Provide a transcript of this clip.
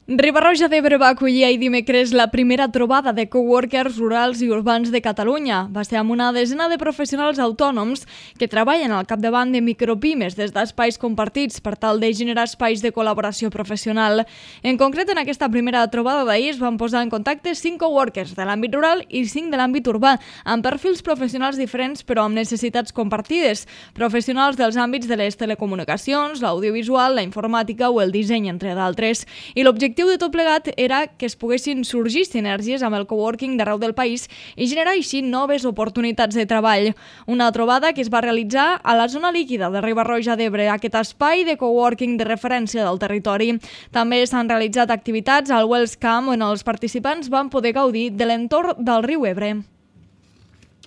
Riba-roja d'Ebre va acollir ahir dimecres la primera trobada de coworkers rurals i urbans de Catalunya. Va ser amb una desena de professionals autònoms que treballen al capdavant de micropimes des d'espais compartits per tal de generar espais de col·laboració professional. En concret, en aquesta primera trobada d'ahir es van posar en contacte 5 coworkers de l'àmbit rural i 5 de l'àmbit urbà, amb perfils professionals diferents però amb necessitats compartides, professionals dels àmbits de les telecomunicacions, l'audiovisual, la informàtica o el disseny, entre d'altres. I l'objectiu de tot plegat era que es poguessin sorgir sinergies amb el coworking d'arreu del país i generar així noves oportunitats de treball. Una trobada que es va realitzar a la zona líquida de Riba-roja d'Ebre, aquest espai de coworking de referència del territori. També s'han realitzat activitats al Wells Camp on els participants van poder gaudir de l'entorn del riu Ebre.